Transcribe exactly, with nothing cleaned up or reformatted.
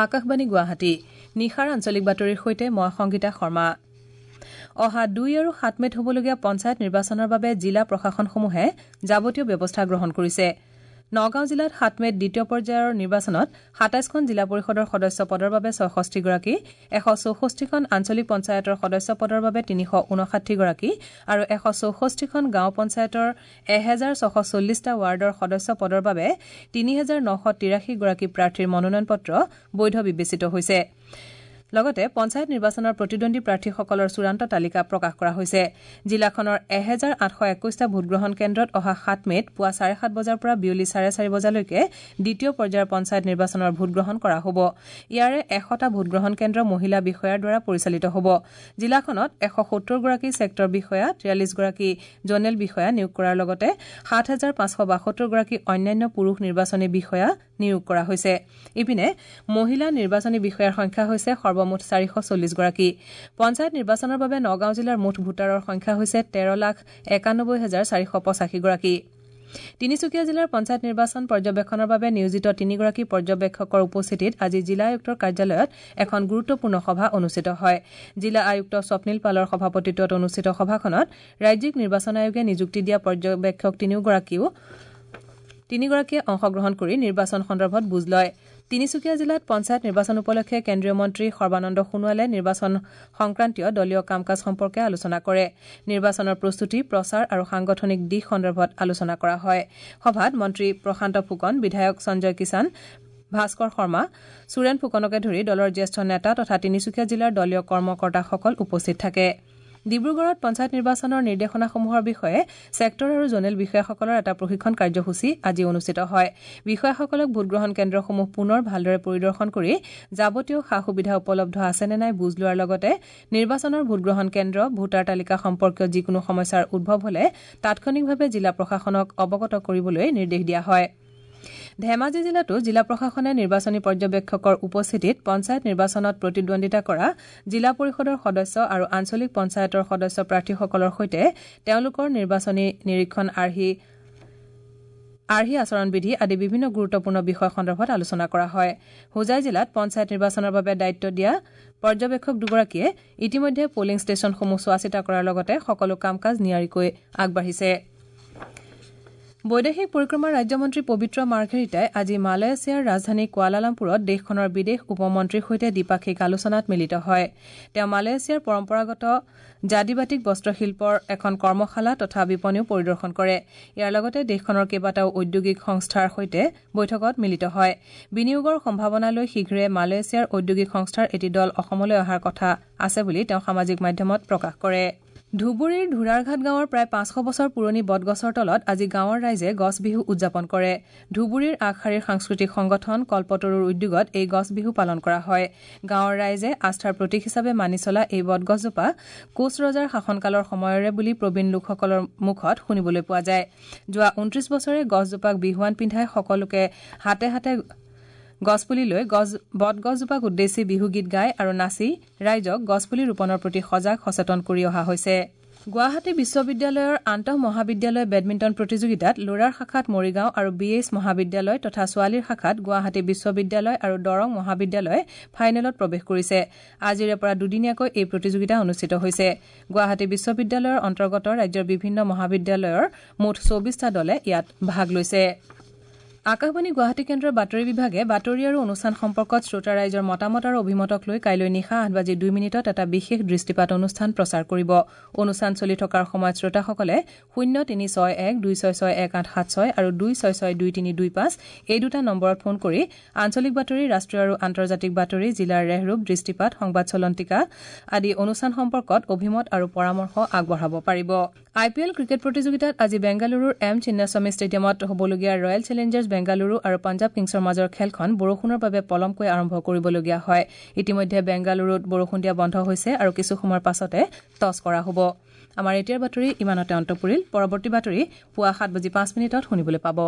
আকাশবাণী গুৱাহাটী নিশাৰ আঞ্চলিক বাতৰিৰ সৈতে মই সংগীতা শৰ্মা। অহা দুই আৰু সাত মে'ত হ'বলগীয়া পঞ্চায়ত নিৰ্বাচনৰ বাবে জিলা প্ৰশাসনসমূহে যাৱতীয় ব্যৱস্থা গ্ৰহণ কৰিছে। নগাঁও জিলাত সাত মে'ত দ্বিতীয় পৰ্যায়ৰ নিৰ্বাচনত সাতাইছখন জিলা পৰিষদৰ সদস্য পদৰ বাবে ছয়ষষ্ঠিগৰাকী, এশ চৌষষ্ঠিখন আঞ্চলিক পঞ্চায়তৰ সদস্য পদৰ বাবে তিনিশ ঊনষাঠিগৰাকী আৰু এশ চৌষষ্ঠিখন গাঁও পঞ্চায়তৰ এহেজাৰ ছশ চল্লিছটা ৱাৰ্ডৰ সদস্য পদৰ বাবে তিনি হেজাৰ নশ তিৰাশীগৰাকী প্ৰাৰ্থীৰ মনোনয়ন পত্ৰ বৈধ বিবেচিত হৈছে। লগতে পঞ্চায়ত নিৰ্বাচনৰ প্ৰতিদ্বন্দ্বী প্ৰাৰ্থীসকলৰ চূড়ান্ত তালিকা প্ৰকাশ কৰা হৈছে। জিলাখনৰ এহেজাৰ আঠশ একৈশটা ভোটগ্ৰহণ কেন্দ্ৰত অহা সাত মে'ত পুৱা চাৰে সাত বজাৰ পৰা বিয়লি চাৰে চাৰি বজালৈকে দ্বিতীয় পৰ্যায়ৰ পঞ্চায়ত নিৰ্বাচনৰ ভোটগ্ৰহণ কৰা হ'ব। ইয়াৰে এশটা ভোটগ্ৰহণ কেন্দ্ৰ মহিলা বিষয়াৰ দ্বাৰা পৰিচালিত হ'ব। জিলাখনত এশ সত্তৰগৰাকী ছেক্টৰ বিষয়া, তিয়াল্লিছগৰাকী জ'নেল বিষয়া নিয়োগ কৰাৰ লগতে সাত হাজাৰ পাঁচশ বাসত্তৰগৰাকী অন্যান্য পুৰুষ নিৰ্বাচনী বিষয়া নিয়োগ কৰা হৈছে। ইপিনে মহিলা নিৰ্বাচনী বিষয়াৰ সংখ্যা হৈছে সৰ্বমুঠ চাৰিশ চল্লিছগৰাকী। পঞ্চায়ত নিৰ্বাচনৰ বাবে নগাঁও জিলাৰ মুঠ ভোটাৰৰ সংখ্যা হৈছে তেৰ লাখ একানব্বৈ হাজাৰ চাৰিশ পঁচাশীগৰাকী। তিনিচুকীয়া জিলাৰ পঞ্চায়ত নিৰ্বাচন পৰ্যবেক্ষণৰ বাবে নিয়োজিত তিনিগৰাকী পৰ্যবেক্ষকৰ উপস্থিতিত আজি জিলা আয়ুক্তৰ কাৰ্যালয়ত এখন গুৰুত্বপূৰ্ণ সভা অনুষ্ঠিত হয়। জিলা আয়ুক্ত স্বপ্নীল পালৰ সভাপতিত্বত অনুষ্ঠিত সভাখনত ৰাজ্যিক নিৰ্বাচন আয়োগে নিযুক্তি দিয়া পৰ্যবেক্ষক তিনিওগৰাকীও তিনিগৰাকীয়ে অংশগ্ৰহণ কৰি নিৰ্বাচন সন্দৰ্ভত বুজ লয়। তিনিচুকীয়া জিলাত পঞ্চায়ত নিৰ্বাচন উপলক্ষে কেন্দ্ৰীয় মন্ত্ৰী সৰ্বানন্দ সোণোৱালে নিৰ্বাচন সংক্ৰান্তীয় দলীয় কাম কাজ সম্পৰ্কে আলোচনা কৰে। নিৰ্বাচনৰ প্ৰস্তুতি, প্ৰচাৰ আৰু সাংগঠনিক দিশ সন্দৰ্ভত আলোচনা কৰা হয়। সভাত মন্ত্ৰী প্ৰশান্ত ফুকন, বিধায়ক সঞ্জয় কিষাণ, ভাস্কৰ শৰ্মা, সুৰেণ ফুকনকে ধৰি দলৰ জ্যেষ্ঠ নেতা তথা তিনিচুকীয়া জিলাৰ দলীয় কৰ্মকৰ্তাসকল উপস্থিত থাকে। ডিব্ৰুগড়ত পঞ্চায়ত নিৰ্বাচনৰ নিৰ্দেশনাসমূহৰ বিষয়ে ছেক্টৰ আৰু জ'নেল বিষয়াসকলৰ এটা প্ৰশিক্ষণ কাৰ্যসূচী আজি অনুষ্ঠিত হয়। বিষয়াসকলক ভোটগ্ৰহণ কেন্দ্ৰসমূহ পুনৰ ভালদৰে পৰিদৰ্শন কৰি যাৱতীয় সা সুবিধা উপলব্ধ আছে নে নাই বুজ লোৱাৰ লগতে নিৰ্বাচনৰ ভোটগ্ৰহণ কেন্দ্ৰ, ভোটাৰ তালিকা সম্পৰ্কীয় যিকোনো সমস্যাৰ উদ্ভৱ হলে তাৎক্ষণিকভাৱে জিলা প্ৰশাসনক অৱগত কৰিবলৈ নিৰ্দেশ দিয়া হয়। ধেমাজি জিলাতো জিলা প্ৰশাসনে নিৰ্বাচনী পৰ্যবেক্ষকৰ উপস্থিতিত পঞ্চায়ত নিৰ্বাচনত প্ৰতিদ্বন্দ্বিতা কৰা জিলা পৰিষদৰ সদস্য আৰু আঞ্চলিক পঞ্চায়তৰ সদস্য প্ৰাৰ্থীসকলৰ সৈতে তেওঁলোকৰ নিৰ্বাচনী নিৰীক্ষণ আৰ্হি আৰ্হি আচৰণবিধি আদি বিভিন্ন গুৰুত্বপূৰ্ণ বিষয় সন্দৰ্ভত আলোচনা কৰা হয়। হোজাই জিলাত পঞ্চায়ত নিৰ্বাচনৰ বাবে দায়িত্ব দিয়া পৰ্যবেক্ষক দুগৰাকীয়ে ইতিমধ্যে পলিং ষ্টেচনসমূহ চোৱাচিতা কৰাৰ লগতে সকলো কাম কাজ নিয়াৰিকৈ আগবাঢ়িছে। বৈদেশিক পৰিক্ৰমা ৰাজ্যমন্ত্ৰী পবিত্ৰ মাৰ্ঘেৰিটাই আজি মালয়েছিয়াৰ ৰাজধানী কুৱালালামপুৰত দেশখনৰ বিদেশ উপমন্ত্ৰীৰ সৈতে দ্বিপাক্ষিক আলোচনাত মিলিত হয়। তেওঁ মালয়েছিয়াৰ পৰম্পৰাগত জাদিবাতিক বস্ত্ৰশিল্পৰ এখন কৰ্মশালা তথা বিপণীও পৰিদৰ্শন কৰে। ইয়াৰ লগতে দেশখনৰ কেইবাটাও ঔদ্যোগিক সংস্থাৰ সৈতে বৈঠকত মিলিত হয়। বিনিয়োগৰ সম্ভাৱনা লৈ শীঘ্ৰে মালয়েছিয়াৰ ঔদ্যোগিক সংস্থাৰ এটি দল অসমলৈ অহাৰ কথা আছে বুলি তেওঁ সামাজিক মাধ্যমত প্ৰকাশ কৰে। ধুবুৰীৰ ধুৰাৰঘাট গাঁৱৰ প্ৰায় পাঁচশ বছৰ পুৰণি বটগছৰ তলত আজি গাঁৱৰ ৰাইজে গছ বিহু উদযাপন কৰে। ধুবুৰীৰ আগশাৰীৰ সাংস্কৃতিক সংগঠন কল্পতৰুৰ উদ্যোগত এই গছ বিহু পালন কৰা হয়। গাঁৱৰ ৰাইজে আস্থাৰ প্ৰতীক হিচাপে মানি চলা এই বটগছজোপা কোচ ৰজাৰ শাসনকালৰ সময়ৰে বুলি প্ৰবীণ লোকসকলৰ মুখত শুনিবলৈ পোৱা যায়। যোৱা ঊনত্ৰিশ বছৰে গছজোপাক বিহুৱান পিন্ধাই সকলোকে হাতে হাতে গছপুলি লৈ গছ বটগছজোপাক উদ্দেশ্যি বিহুগীত গাই আৰু নাচি ৰাইজক গছপুলি ৰোপণৰ প্ৰতি সজাগ সচেতন কৰি অহা হৈছে। গুৱাহাটী বিশ্ববিদ্যালয়ৰ আন্তঃ মহাবিদ্যালয় বেডমিণ্টন প্ৰতিযোগিতাত ল'ৰাৰ শাখাত মৰিগাঁও আৰু বি এইচ মহাবিদ্যালয় তথা ছোৱালীৰ শাখাত গুৱাহাটী বিশ্ববিদ্যালয় আৰু দৰং মহাবিদ্যালয়ে ফাইনেলত প্ৰৱেশ কৰিছে। আজিৰে পৰা দুদিনীয়াকৈ এই প্ৰতিযোগিতা অনুষ্ঠিত হৈছে। গুৱাহাটী বিশ্ববিদ্যালয়ৰ অন্তৰ্গত ৰাজ্যৰ বিভিন্ন মহাবিদ্যালয়ৰ মুঠ চৌবিছটা দলে ইয়াত ভাগ লৈছে। আকাশবাণী গুৱাহাটী কেন্দ্ৰৰ বাতৰি বিভাগে বাতৰি আৰু অনুষ্ঠান সম্পৰ্কত শ্ৰোতা ৰাইজৰ মতামত আৰু অভিমতক লৈ কাইলৈ নিশা আঠ বাজি দুই মিনিটত এটা বিশেষ দৃষ্টিপাত অনুষ্ঠান প্ৰচাৰ কৰিব। অনুষ্ঠান চলি থকাৰ সময়ত শ্ৰোতাসকলে শূন্য তিনি ছয় এক দুই ছয় ছয় এক আঠ সাত ছয় আৰু দুই ছয় ছয় দুই তিনি দুই পাঁচ এই দুটা নম্বৰত ফোন কৰি আঞ্চলিক বাতৰি, ৰাষ্ট্ৰীয় আৰু আন্তৰ্জাতিক বাতৰি, জিলাৰ ৰেহৰূপ, দৃষ্টিপাত, সংবাদ চলন্তিকা আদি অনুষ্ঠান সম্পৰ্কত অভিমত আৰু পৰামৰ্শ আগবঢ়াব পাৰিব। আই পি এল ক্ৰিকেট প্ৰতিযোগিতাত আজি বেংগালুৰুৰ এম চিন্নাস্বামী ষ্টেডিয়ামত হ'বলগীয়া ৰয়েল চেলেঞ্জাৰ্ছ বেংগালুৰু আৰু পঞ্জাৱ কিংছৰ মাজৰ খেলখন বৰষুণৰ বাবে পলমকৈ আৰম্ভ কৰিবলগীয়া হয়। ইতিমধ্যে বেংগালুৰুত বৰষুণ দিয়া বন্ধ হৈছে আৰু কিছু সময়ৰ পাছতে টছ কৰা হ'ব। আমাৰ এতিয়াৰ বাতৰি ইমানতে অন্ত পৰিল। পৰৱৰ্তী বাতৰি পুৱা সাত বাজি পাঁচ মিনিটত শুনিবলৈ পাব।